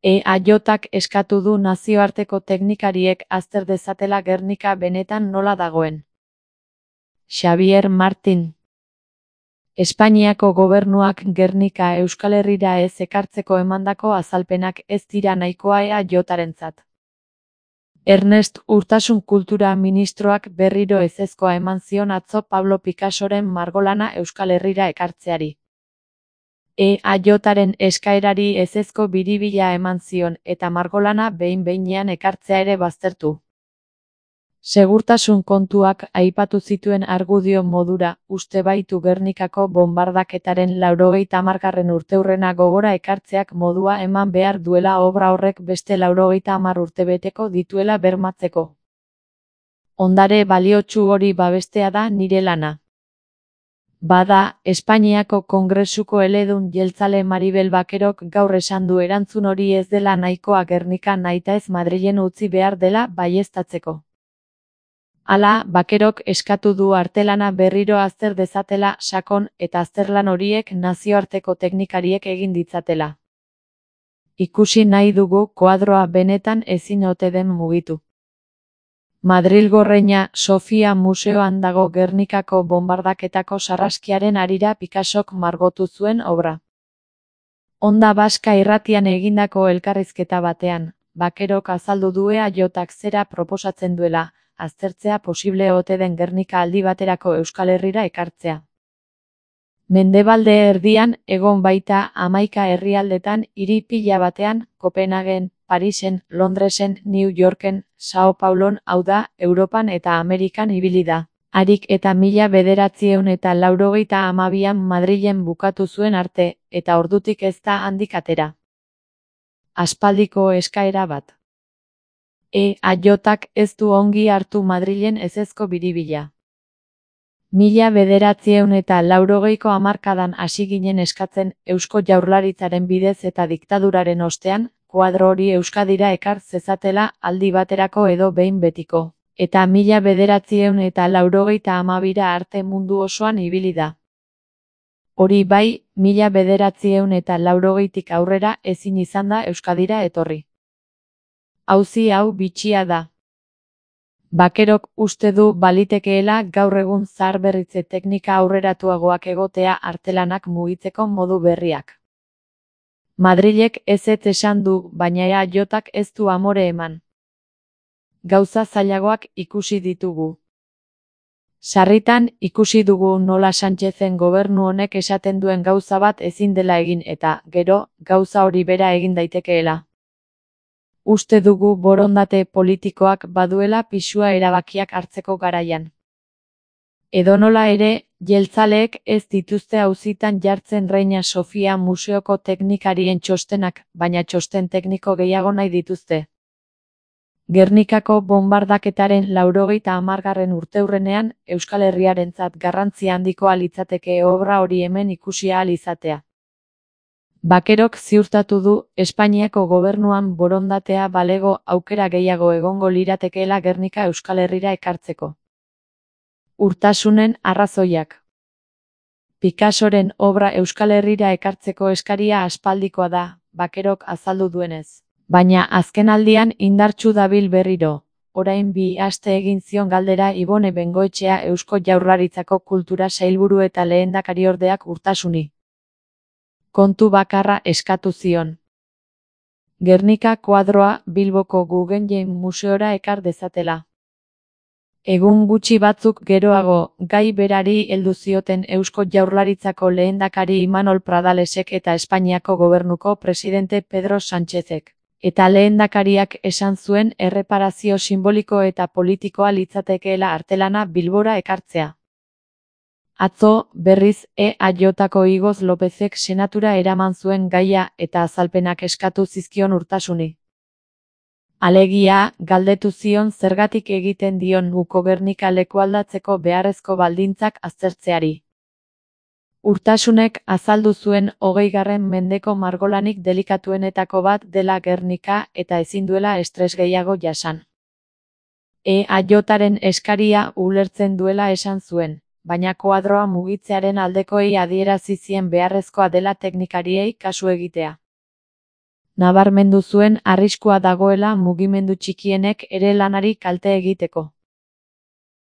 EAJak eskatu du nazioarteko teknikariek azter dezatela Gernika benetan nola dagoen. Xabier Martin. Espainiako gobernuak Gernika Euskal Herrira ez ekartzeko emandako azalpenak ez dira nahikoa EAJarentzat. Ernest Urtasun kultura ministroak berriro ezezkoa eman zion atzo Pablo Picassoren margolana Euskal Herrira ekartzeari. EAJaren eskaerari ezezko biribila eman zion eta margolana behin-behinean ekartzea ere baztertu. Segurtasun kontuak aipatu zituen argudio modura, uste baitu Gernikako bonbardaketaren 90. urteurrena gogora ekartzeak modua eman behar duela obra horrek beste 90 urtebeteko dituela bermatzeko. Ondare baliotsu hori babestea da nire lana. Bada, Espainiako Kongresuko eledun jeltzale Maribel Bakerok gaur esan du erantzun hori ez dela nahikoa Gernika nahitaez Madrilen utzi behar dela baieztatzeko. Hala, Bakerok eskatu du artelana berriro azter dezatela sakon eta azterlan horiek nazioarteko teknikariek egin ditzatela. Ikusi nahi dugu koadroa benetan ezin ote den mugitu. Madrilgo Reina Sofia museoan dago Gernikako bonbardaketako sarraskiaren harira Picassok margotu zuen obra. Onda Baska irratian egindako elkarrizketa batean, Bakerok azaldu du EAJak zera proposatzen duela, aztertzea posible ote den Gernika aldi baterako Euskal Herrira ekartzea. Mendebalde erdian egon baita 11 herrialdetan hiri pila batean, Kopenhagen, Parisen, Londresen, New Yorken, Sao Paulon, hau da, Europan eta Amerikan ibili da. Harik eta 1992an Madrilen bukatu zuen arte, eta ordutik ez da handik atera. Aspaldiko eskaera bat. EAJak ez du ongi hartu Madrilen ezezko biribila. 1980ko hamarkadan hasi ginen eskatzen Eusko Jaurlaritzaren bidez eta diktaduraren ostean, koadro hori Euskadira ekar zezatela aldi baterako edo behin betiko, eta 1982ra arte mundu osoan ibili da. Hori bai, 1980tik aurrera ezin izan da Euskadira etorri. Auzi hau bitxia da. Bakerok uste du balitekeela gaur egun zaharberritze teknika aurreratuagoak egotea artelanak mugitzeko modu berriak. Madrilek ezetz esan du, baina EAJak ez du amore eman. Gauza zailagoak ikusi ditugu. Sarritan ikusi dugu nola Sánchezen gobernu honek esaten duen gauza bat ezin dela egin eta, gero, gauza hori bera egin daitekeela. Uste dugu borondate politikoak baduela pisua erabakiak hartzeko garaian. Edonola ere, jeltzaleek ez dituzte auzitan jartzen Reina Sofia museoko teknikarien txostenak, baina txosten tekniko gehiago nahi dituzte. Gernikako bonbardaketaren 90. urteurrenean, Euskal Herriarentzat garrantzi handikoa litzateke obra hori hemen ikusi ahal izatea. Bakerok ziurtatu du, Espainiako gobernuan borondatea balego aukera gehiago egongo liratekeela Gernika Euskal Herrira ekartzeko. Urtasunen arrazoiak. Picassoren obra Euskal Herrira ekartzeko eskaria aspaldikoa da, Bakerok azaldu duenez. Baina azkenaldian indartsu dabil berriro, orain 2 aste egin zion galdera Ibone Bengoetxea Eusko Jaurlaritzako kultura sailburu eta lehendakariordeak Urtasuni. Kontu bakarra eskatu zion. Gernika koadroa Bilboko Guggenheim museora ekar dezatela. Egun gutxi batzuk geroago, gai berari heldu zioten Eusko Jaurlaritzako lehendakari Imanol Pradalesek eta Espainiako gobernuko presidente Pedro Sánchezek. Eta lehendakariak esan zuen erreparazio simboliko eta politikoa litzatekeela artelana Bilbora ekartzea. Atzo, berriz, EAJako Igoz Lopezek senatura eraman zuen gaia eta azalpenak eskatu zizkion Urtasuni. Alegia, galdetu zion zergatik egiten dion uko Gernika lekualdatzeko beharrezko baldintzak aztertzeari. Urtasunek azaldu zuen 20. mendeko margolanik delikatuenetako bat dela Gernika eta ezin duela estres gehiago jasan. EAJaren eskaria ulertzen duela esan zuen, baina koadroa mugitzearen aldekoei adierazi zien beharrezkoa dela teknikariei kasu egitea. Nabarmendu zuen arriskua dagoela mugimendu txikienek ere lanari kalte egiteko.